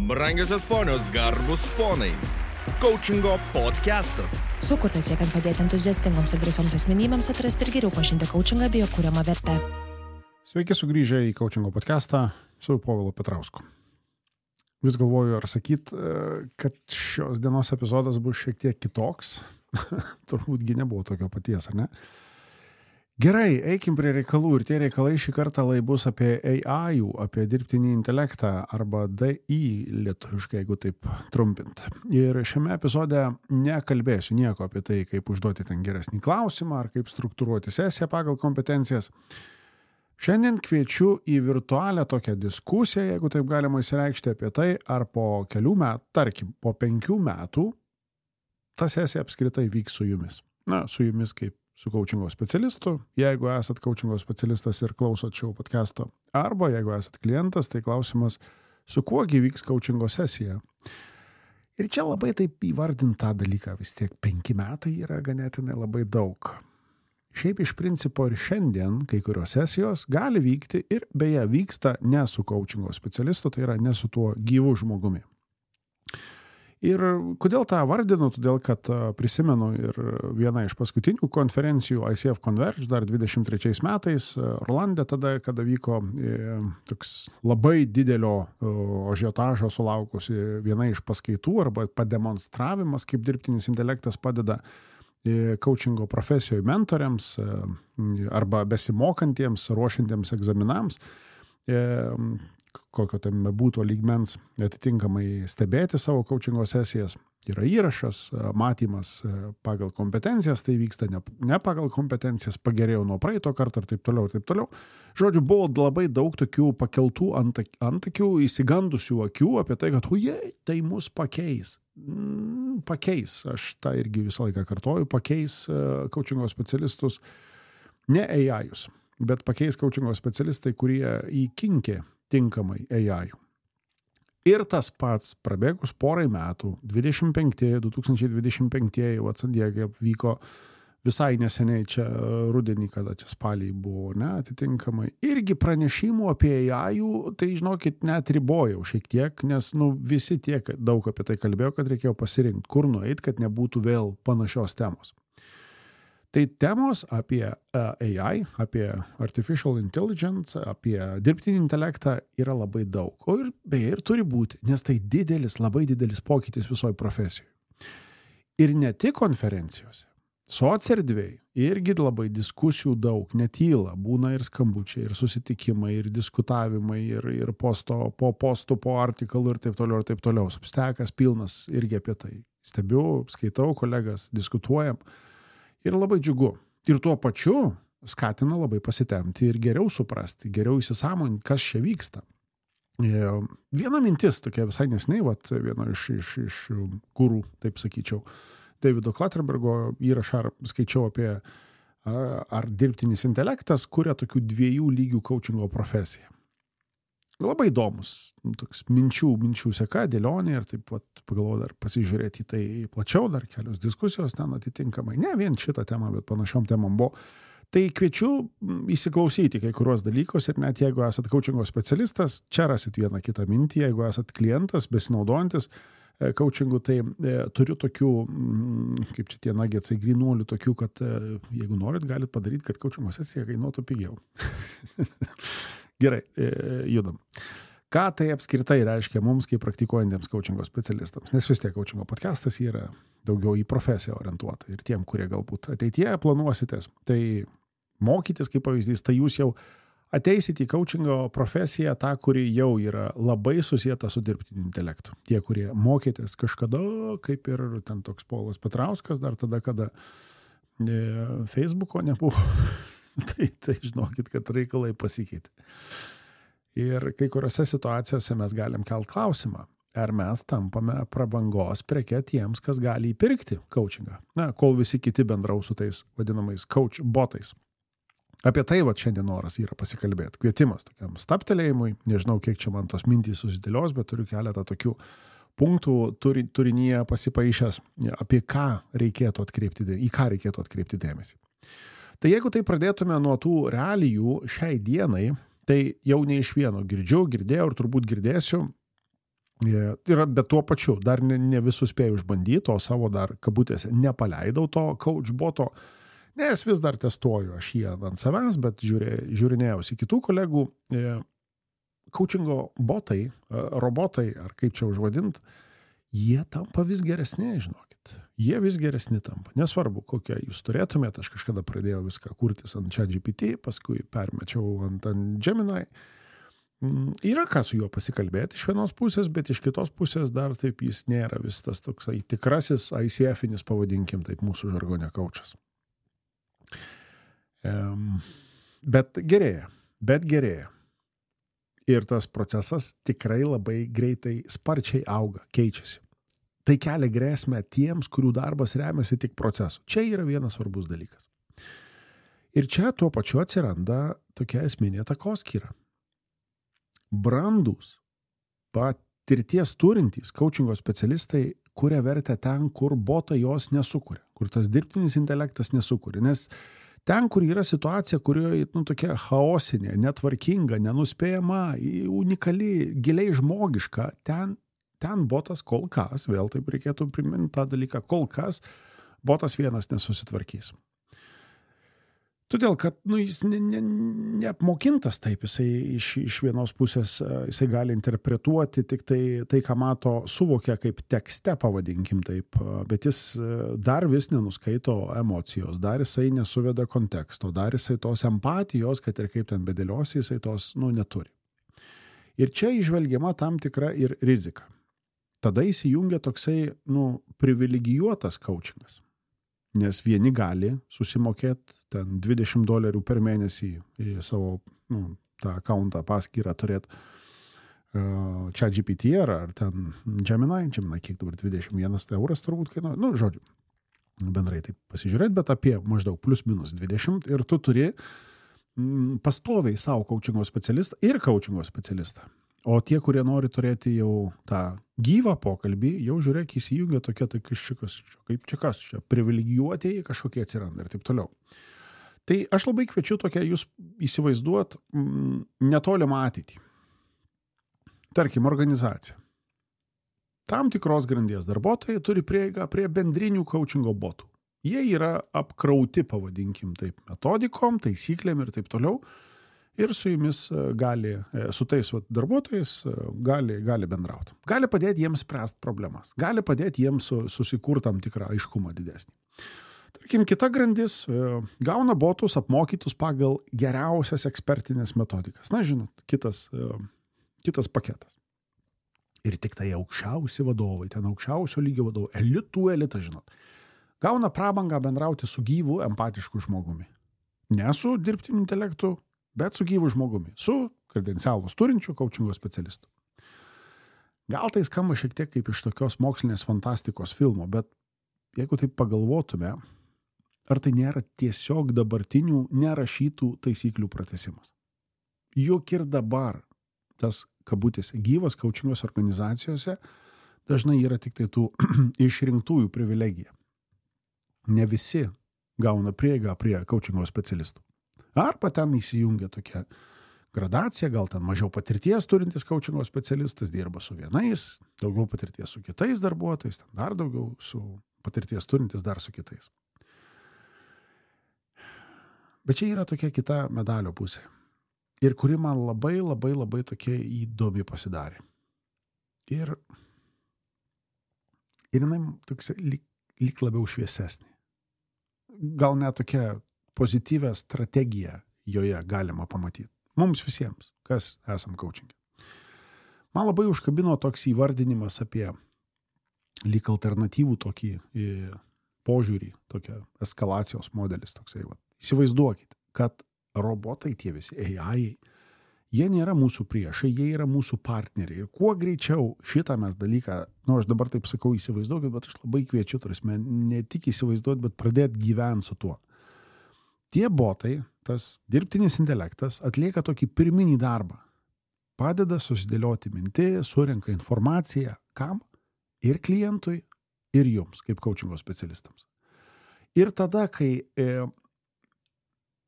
Brangiosios ponios, garbus ponai. Coachingo podcastas. Sukurtas siekiant padėti entuziastingoms ir drąsioms asmenybėms atrasti ir geriau pažinti coachingą bei jo kuriamą vertę. Sveiki sugrįžę į Coachingo podcastą su Povilu Petrausku. Vis galvoju, ar sakyt, kad šios dienos epizodas bus šiek tiek kitoks. Turbūt nebuvo tokio paties, ar ne? Gerai, eikim prie reikalų ir tie reikalai šį kartą bus apie AI, apie dirbtinį intelektą arba DI lietuviškai, jeigu taip trumpint. Ir šiame epizode nekalbėsiu nieko apie tai, kaip užduoti ten geresnį klausimą ar kaip struktūruoti sesiją pagal kompetencijas. Šiandien kviečiu į virtualią tokią diskusiją, jeigu taip galima įsireikšti apie tai, ar po kelių metų, tarkim, po 5 metų ta sesija apskritai vyks su jumis. Na, su jumis kaip su coachingo specialistu, jeigu esat coachingo specialistas ir klausot šio podcast'o, arba jeigu esat klientas, tai klausimas, su kuogi vyks coachingo sesija. Ir čia labai taip įvardint tą dalyką, vis tiek 5 metai yra ganėtinai labai daug. Šiaip iš principo ir šiandien kai kurios sesijos gali vykti ir beje vyksta ne su coachingo specialistu, tai yra ne su tuo gyvu žmogumi. Ir kodėl tą vardinu? Todėl, kad prisimenu ir vieną iš paskutinių konferencijų ICF Converge dar 23 metais Orlande tada, kada vyko toks labai didelio ažiotažo sulaukusi viena iš paskaitų arba pademonstravimas, kaip dirbtinis intelektas padeda coachingo profesijoje mentoriams arba besimokantiems, ruošiantiems egzaminams, kokio tam būtų lygmens atitinkamai stebėti savo coachingo sesijas. Yra įrašas, matymas pagal kompetencijas, tai vyksta ne pagal kompetencijas, pagerėjau nuo praeito karto ir taip toliau, taip toliau. Žodžiu, buvo labai daug tokių pakeltų antakių, įsigandusių akių apie tai, kad tai mus pakeis. Pakeis, aš tą irgi visą laiką kartoju, pakeis coachingo specialistus, ne AI-us, bet pakeis coachingo specialistai, kurie įkinkė tinkamai AI. Ir tas pats prabėgus porai metų, 2025, San Diege vyko visai neseniai čia rudenį, kada čia spalį buvo, ne, atitinkamai. Irgi pranešimų apie AI, tai žinokit, net ribojau šiek tiek, nes visi tiek daug apie tai kalbėjo, kad reikėjo pasirinkti, kur nueit, kad nebūtų vėl panašios temos. Tai temos apie AI, apie artificial intelligence, apie dirbtinį intelektą yra labai daug. O ir beje ir turi būti, nes tai labai didelis pokytis visoje profesijoje. Ir ne tik konferencijose, socerdvėj irgi labai diskusijų daug, netyla, būna ir skambučiai, ir susitikimai, ir diskutavimai, ir po postų, po artikalų ir taip toliau. Substekas pilnas irgi apie tai. Stebiu, skaitau kolegas, diskutuojam. Ir labai džiugu. Ir tuo pačiu skatina labai pasitemti ir geriau suprasti, geriau įsisąmoninti, kas čia vyksta. Viena mintis, tokia visai nesnei, viena iš gurų, taip sakyčiau, Davido Klatterbergo įrašą skaičiau apie ar dirbtinis intelektas kuria tokių 2 lygių coachingo profesiją. Labai įdomus, toks minčių seka, dėlionė ir taip pat pagalvoju dar pasižiūrėti į tai plačiau, dar kelios diskusijos ten atitinkamai. Ne vien šitą temą, bet panašiom temom buvo. Tai kviečiu įsiklausyti kai kurios dalykus ir net jeigu esat coachingo specialistas, čia rasit vieną kitą mintį, jeigu esat klientas, besinaudojantis coachingu, tai turiu tokių, kaip čia tie nagetsai grynuolių, tokių, kad jeigu norit, galit padaryti, kad coachingo sesija kainuotų pigiau. Gerai, judam. Ką tai apskritai reiškia mums, kaip praktikuojantiems coachingo specialistams? Nes vis tiek coachingo podcastas yra daugiau į profesiją orientuota. Ir tiem, kurie galbūt ateityje planuositės, tai mokytis, kaip pavyzdys, tai jūs jau ateisite į coachingo profesiją, tą, kuri jau yra labai susieta su dirbtiniu intelektu. Tie, kurie mokėtės kažkada, kaip ir ten toks Povilas Petrauskas, dar tada, kada Facebooko nebuvo. Tai žinokit, kad reikalai pasikeitė. Ir kai kuriuose situacijose mes galim kelt klausimą, ar mes tampame prabangos preke tiems, kas gali įpirkti coachingą. Na, kol visi kiti bendraus su tais vadinamais coach botais. Apie tai šiandien noras yra pasikalbėti. Kvietimas tokiam stabtelėjimui. Nežinau, kiek čia man tos mintys susidėlios, bet turiu keletą tokių punktų turinyje pasipaišęs, apie ką reikėtų atkreipti dėmesį. Tai jeigu tai pradėtume nuo tų realijų šiai dienai, tai jau ne iš vieno girdėjau ir turbūt girdėsiu, Ir bet tuo pačiu, dar ne visus spėjau išbandyti, o savo dar kabutėse nepaleidau to coachboto, nes vis dar testuoju aš jį ant savęs, bet žiūrinėjausi kitų kolegų. Coachingo botai, robotai, ar kaip čia užvadint, jie tampa vis geresni, žinokit. Jie vis geresni tampa. Nesvarbu, kokią jūs turėtumėte, aš kažkada pradėjau viską kurtis ant ChatGPT, paskui permečiau ant Gemini. Yra ką su juo pasikalbėti iš vienos pusės, bet iš kitos pusės dar taip jis nėra vis tas toksai tikrasis ICF-inis, pavadinkim taip, mūsų žargone kaučas. Bet gerėja. Ir tas procesas tikrai labai greitai, sparčiai auga, keičiasi. Tai kelia grėsmę tiems, kurių darbas remiasi tik procesu. Čia yra vienas svarbus dalykas. Ir čia tuo pačiu atsiranda tokia esminė takoskyra. Brandūs, patirties turintys coachingo specialistai kuria vertę ten, kur botai jos nesukuria, kur tas dirbtinis intelektas nesukuria. Nes ten, kur yra situacija, kurioje tokia chaosinė, netvarkinga, nenuspėjama, unikali, giliai žmogiška, ten botas kol kas, vėl taip reikėtų priminti tą dalyką, kol kas botas vienas nesusitvarkys. Todėl, kad jis neapmokintas taip, jisai iš vienos pusės jisai gali interpretuoti tik tai, ką mato, suvokia kaip tekste, pavadinkim taip, bet jis dar vis nenuskaito emocijos, dar jisai nesuveda konteksto, dar jisai tos empatijos, kad ir kaip ten bedėliosi, jisai tos neturi. Ir čia įžvelgiama tam tikra ir rizika. Tada įsijungia toksai privilegijuotas coachingas. Nes vieni gali susimokėti ten $20 per mėnesį į savo tą accountą, paskyrą turėti ChatGPT ar ten Gemini, kiek dabar 21 euras turbūt kainuoja, žodžiu, bendrai taip pasižiūrėti, bet apie maždaug plus minus 20 ir tu turi pastoviai savo coachingo specialistą ir coachingo specialistą. O tie, kurie nori turėti jau tą gyvą pokalbį, jau žiūrėk, įsijungia tokie, kaip čia, privilegijuotieji kažkokie atsiranda ir taip toliau. Tai aš labai kviečiu tokia jūs įsivaizduot netolimą ateitį. Tarkim, organizacija. Tam tikros grandies darbuotojai turi prieigą prie bendrinių coachingo botų. Jie yra apkrauti, pavadinkim taip, metodikom, taisyklėm ir taip toliau. Ir su jumis su tais darbuotojais gali bendrauti. Gali padėti jiems spręsti problemas. Gali padėti jiems susikurti tam tikrą aiškumą didesnį. Tarkim, kita grandis gauna botus apmokytus pagal geriausias ekspertinės metodikas. Žinot, kitas paketas. Ir tik tai aukščiausi vadovai, ten aukščiausio lygio vadovai, elitas, žinot, gauna prabangą bendrauti su gyvu, empatišku žmogumi. Ne su dirbtiniu intelektu, bet su gyvu žmogumi, su kredencialus turinčiu coachingo specialistu. Gal tai skamba šiek tiek kaip iš tokios mokslinės fantastikos filmo, bet jeigu taip pagalvotume, ar tai nėra tiesiog dabartinių nerašytų taisyklių pratęsimas? Juk ir dabar tas kabutėse gyvas coachingos organizacijose dažnai yra tik tai tų išrinktųjų privilegija. Ne visi gauna prieigą prie coachingo specialistų. Arba ten įsijungia tokia gradacija, gal ten mažiau patirties turintis coachingo specialistas dirba su vienais, daugiau patirties su kitais darbuotojais, ten dar daugiau su patirties turintis dar su kitais. Bet čia yra tokia kita medalio pusė. Ir kuri man labai, labai, labai tokia įdomi pasidarė. Ir jinai tokia lyg labiau šviesesnė. Gal net tokia pozityvę strategiją joje galima pamatyti. Mums visiems, kas esam coachingė. Man labai užkabino toks įvardinimas apie lyg alternatyvų tokį požiūrį, tokia eskalacijos modelis toksai. Įsivaizduokite, kad robotai tie visi, AI, jie nėra mūsų priešai, jie yra mūsų partneriai. Ir kuo greičiau šitą mes dalyką, aš dabar taip sakau įsivaizduokit, bet aš labai kviečiu, ne tik įsivaizduoti, bet pradėti gyventi su tuo. Tie botai, tas dirbtinis intelektas atlieka tokį pirminį darbą. Padeda susidėlioti mintį, surenka informaciją. Kam? Ir klientui, ir jums, kaip coachingo specialistams. Ir tada, kai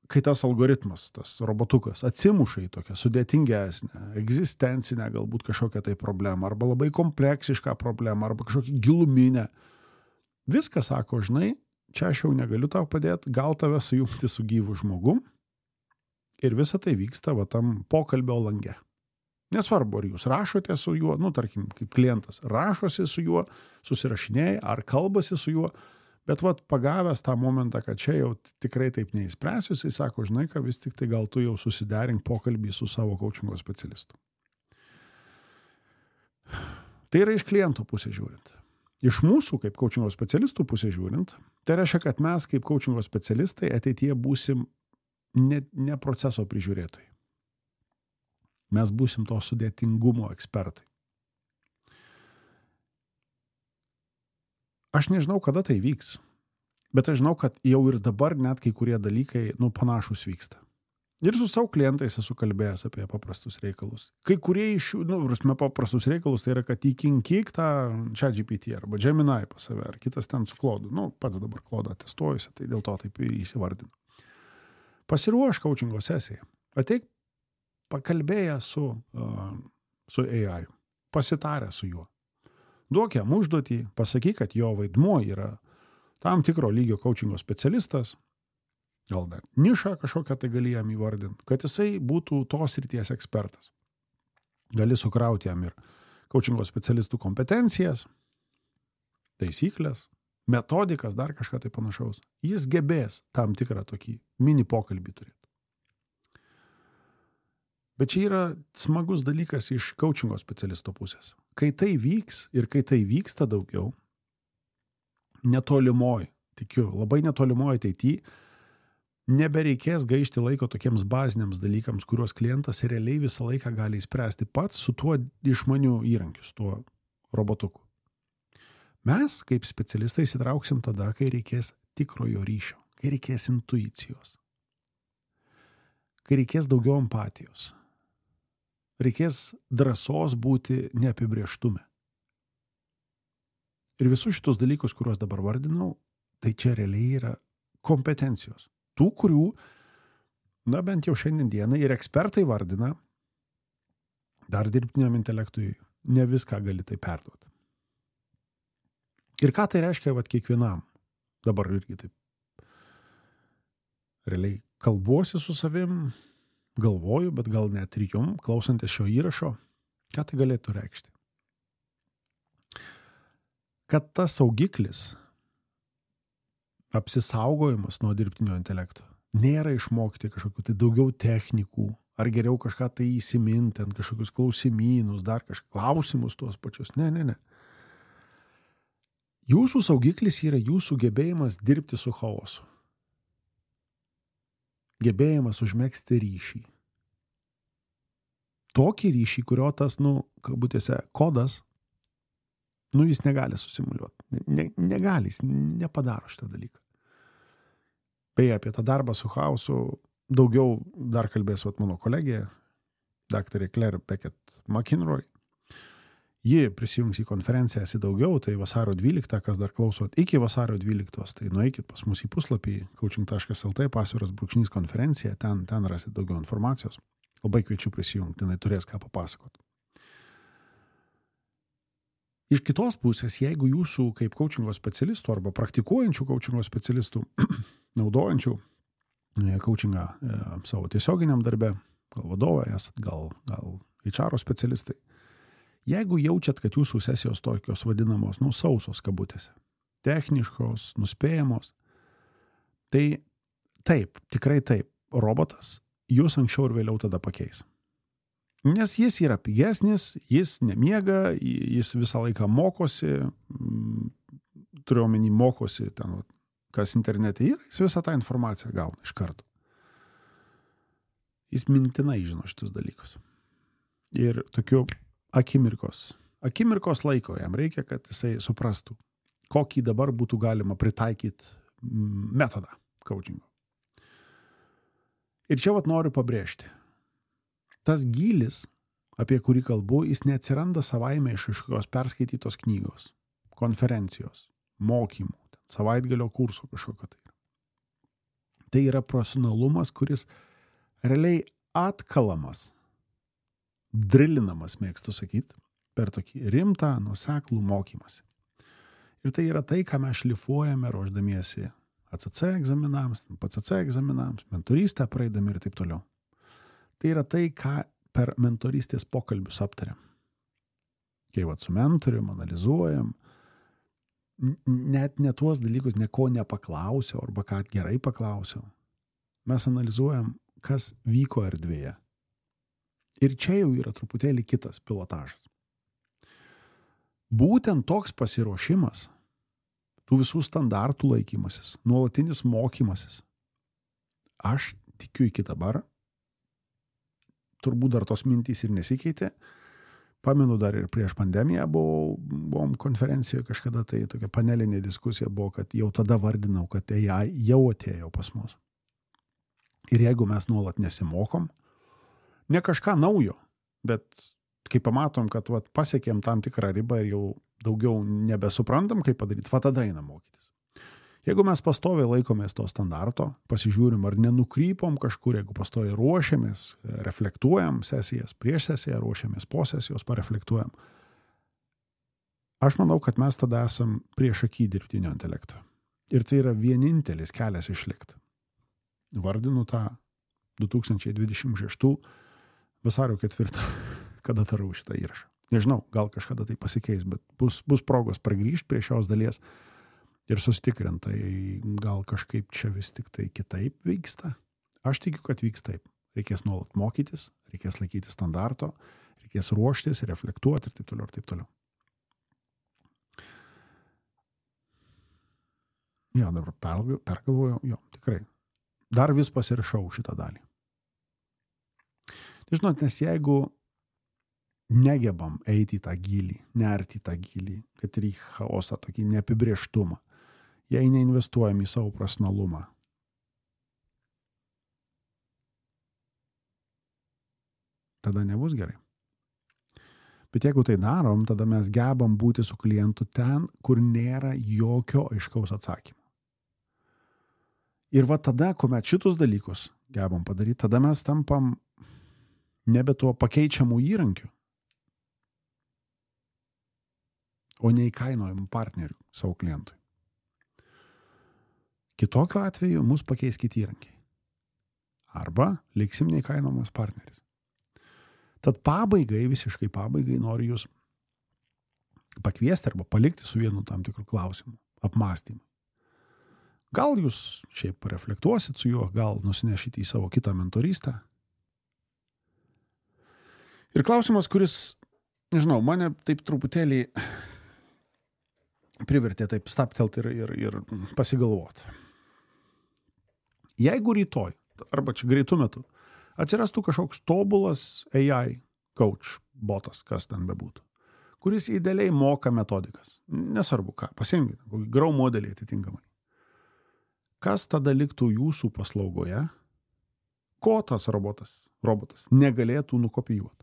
kai tas algoritmas, tas robotukas atsimuša į tokią sudėtingesnę, egzistencinę galbūt kažkokią tai problemą, arba labai kompleksišką problemą, arba kažkokią giluminę, viską sako, žinai, čia aš jau negaliu tau padėti, gal tave sujungti su gyvu žmogum ir visa tai vyksta va tam pokalbio lange. Nesvarbu, ar jūs rašote su juo, tarkim, kaip klientas, rašosi su juo, susirašinėjai, ar kalbasi su juo, bet vat pagavęs tą momentą, kad čia jau tikrai taip neįspręsiu, jisai sako, žinai, kad vis tik tai gal tu jau susiderink pokalbį su savo coachingo specialistu. Tai yra iš klientų pusės žiūrint. Iš mūsų kaip coachingo specialistų pusės žiūrint, tai reiškia, kad mes kaip coachingo specialistai ateityje būsim ne proceso prižiūrėtojai. Mes būsim to sudėtingumo ekspertai. Aš nežinau, kada tai vyks, bet aš žinau, kad jau ir dabar net kai kurie dalykai, panašus vyksta. Ir su savo klientais esu kalbėjęs apie paprastus reikalus. Kai kurie iš jų, paprastus reikalus, tai yra, kad įkinkyk tą ChatGPT arba Gemini pas save, ar kitas ten su Claude. Pats dabar Claude testuojusi, tai dėl to taip ir įsivardinu. Pasiruoš coachingo sesiją. Ateik pakalbėję su AI, pasitarę su juo. Duok jam užduotį, pasakyk, kad jo vaidmuo yra tam tikro lygio coachingo specialistas, gal net nišą kažkokią tai gali jam įvardinti, kad jisai būtų tos srities ekspertas. Gali sukrauti jam ir coachingo specialistų kompetencijas, taisyklės, metodikas, dar kažką tai panašaus. Jis gebės tam tikrą tokį mini pokalbį turėti. Bet čia yra smagus dalykas iš coachingo specialisto pusės. Kai tai vyks ir kai tai vyksta daugiau, netolimoj, tikiu, labai netolimoj ateityje, nebereikės gaišti laiko tokiems baziniams dalykams, kuriuos klientas realiai visą laiką gali įspręsti pats su tuo išmaniu įrankiu, su tuo robotuku. Mes, kaip specialistai, įsitrauksim tada, kai reikės tikrojo ryšio, kai reikės intuicijos, kai reikės daugiau empatijos. Reikės drąsos būti neapibrėžtume. Ir visus šitus dalykus, kuriuos dabar vardinau, tai čia realiai yra kompetencijos. Tų, kurių, bent jau šiandien dienai ir ekspertai vardina, dar dirbtiniam intelektui ne viską gali tai perduoti. Ir ką tai reiškia kiekvienam? Dabar irgi taip. Realiai kalbuosi su savim, galvoju, bet gal net ir jum, klausantis šio įrašo, ką tai galėtų reikšti. Kad tas saugiklis, apsisaugojimas nuo dirbtinio intelekto, nėra išmokti kažkokių tai daugiau technikų, ar geriau kažką tai įsiminti, ant kažkokius klausimynus, dar klausimus tuos pačius. Ne. Jūsų saugiklis yra jūsų gebėjimas dirbti su chaosu. Gebėjimas užmegzti ryšį. Tokį ryšį, kurio tas, kabutėse, kodas, jis negali susimuliuoti. Negali, jis nepadaro šitą dalyką. Beje, apie tą darbą su chaosu daugiau dar kalbės mano kolegė, daktarė Claire Beckett McInroy. Ji prisijungs į konferenciją daugiau, tai vasario 12, kas dar klausot, iki vasario 12, tai nueikit pas mus į puslapį coaching.lt /konferencija, ten rasit daugiau informacijos. Labai kviečiu prisijungti, jinai turės ką papasakoti. Iš kitos pusės, jeigu jūsų kaip coachingo specialistų arba praktikuojančių coachingo specialistų, naudojančių coachingą savo tiesioginiam darbe, gal vadovai esat, gal HR specialistai, jeigu jaučiat, kad jūsų sesijos tokios vadinamos, sausos kabutėse, techniškos, nuspėjamos, tai taip, tikrai taip, robotas jūs anksčiau ir vėliau tada pakeis. Nes jis yra pigesnis, jis nemiega, jis visą laiką mokosi, turiu omeny mokosi ten, kas internete yra, jis visą tą informaciją gauna iš karto. Jis mintinai žino šitus dalykus. Ir tokiu akimirkos laiko jam reikia, kad jisai suprastų, kokį dabar būtų galima pritaikyti metodą coachingo. Ir čia noriu pabrėžti. Tas gylis, apie kurį kalbu, jis neatsiranda savaime iš kažkokios perskaitytos knygos, konferencijos, mokymų, savaitgalio kurso kažkokio tai. Tai yra profesionalumas, kuris realiai atkalamas, drilinamas, mėgstu sakyti, per tokį rimtą, nuoseklų mokymąsi. Ir tai yra tai, ką mes šlifuojame ruošdamiesi ACC egzaminams, PCC egzaminams, mentorystę praeidami ir taip toliau. Tai yra tai, ką per mentorystės pokalbius aptariam. Kai su mentorium analizuojam, net ne tuos dalykus, ko nepaklausiau arba ką gerai paklausiau. Mes analizuojam, kas vyko erdvėje. Ir čia jau yra truputėlį kitas pilotažas. Būtent toks pasiruošimas, tų visų standartų laikymasis, nuolatinis mokymasis. Aš tikiu iki dabar, turbūt dar tos mintys ir nesikeitė. Pamenu, dar ir prieš pandemiją buvom konferencijoje kažkada, tai tokia panelinė diskusija buvo, kad jau tada vardinau, kad AI jau atėjo pas mus. Ir jeigu mes nuolat nesimokom, ne kažką naujo, bet kai pamatom, kad pasiekėm tam tikrą ribą ir jau daugiau nebesuprantam, kaip padaryti, tada einam mokytis. Jeigu mes pastoviai laikomės to standarto, pasižiūrim, ar nenukrypom kažkur, jeigu pastoviai ruošiamės, reflektuojam sesijas, prieš sesiją ruošiamės, po sesijos pareflektuojam, aš manau, kad mes tada esam priešaky dirbtinio intelekto. Ir tai yra vienintelis kelias išlikti. Vardinu tą 2026 vasario 4, kada darau šitą įrašą. Nežinau, gal kažkada tai pasikeis, bet bus progos pragrįžti prie šios dalies ir susitikrintai, gal kažkaip čia vis tik tai kitaip vyksta. Aš tikiu, kad vyks taip. Reikės nuolat mokytis, reikės laikyti standarto, reikės ruoštis, reflektuoti ir taip toliau, ir taip toliau. Jo, dabar pergalvoju, jo, tikrai. Dar vis pasirašau šitą dalį. Tai žinot, nes jeigu negebam eiti į tą gylį, nerti į tą gylį, kad ir į chaosą, tokį neapibrėžtumą, jei neinvestuojam į savo profesionalumą, tada nebus gerai. Bet jeigu tai darom, tada mes gebam būti su klientu ten, kur nėra jokio aiškaus atsakymo. Ir tada, kuomet šitus dalykus gebam padaryti, tada mes tampam nebe tuo pakeičiamų įrankių, o neįkainojimų partnerių savo klientui. Kitokiu atveju mus pakeis kiti įrankiai. Arba liksim neįkainojamas partneris. Tad visiškai pabaigai noriu jūs pakviesti arba palikti su vienu tam tikrų klausimų, apmąstymų. Gal jūs šiaip pareflektuosit su juo, gal nusinešite į savo kitą mentorystę. Ir klausimas, kuris, nežinau, mane taip truputėlį privertė taip staptelt ir pasigalvoti. Jeigu rytoj, arba čia greitų metų, atsirastų kažkoks tobulas AI coach, botas, kas ten bebūtų, kuris idealiai moka metodikas, nesvarbu ką, pasiimkite, kokį grau modelį atitinkamai. Kas tada liktų jūsų paslaugoje, ko tas robotas negalėtų nukopijuoti?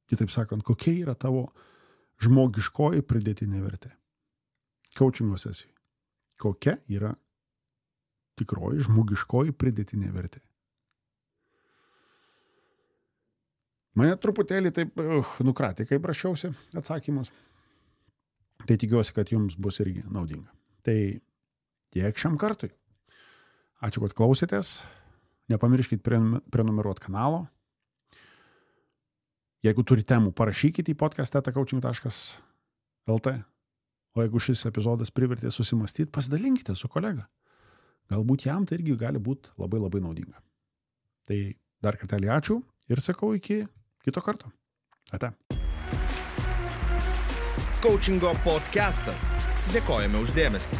Kitaip sakant, kokia yra tavo žmogiškoji pridėtinė vertė? Coachingo sesijai. Kokia yra tikroji žmogiškoji pridėtinė vertė? Mane truputėlį taip nukratė, kaip rašiausi atsakymus. Tai tikiuosi, kad jums bus irgi naudinga. Tai tiek šiam kartui. Ačiū, kad klausėtės. Nepamirškit prenumeruoti kanalo. Jeigu turite temų, parašykite į podcast@coaching.lt. O jeigu šis epizodas privertė susimastyti, pasidalinkite su kolega. Galbūt jam tai irgi gali būti labai labai naudinga. Tai dar kartelį ačiū ir sakau iki kito karto. Ate. Coachingo podcastas. Dėkojame už dėmesį.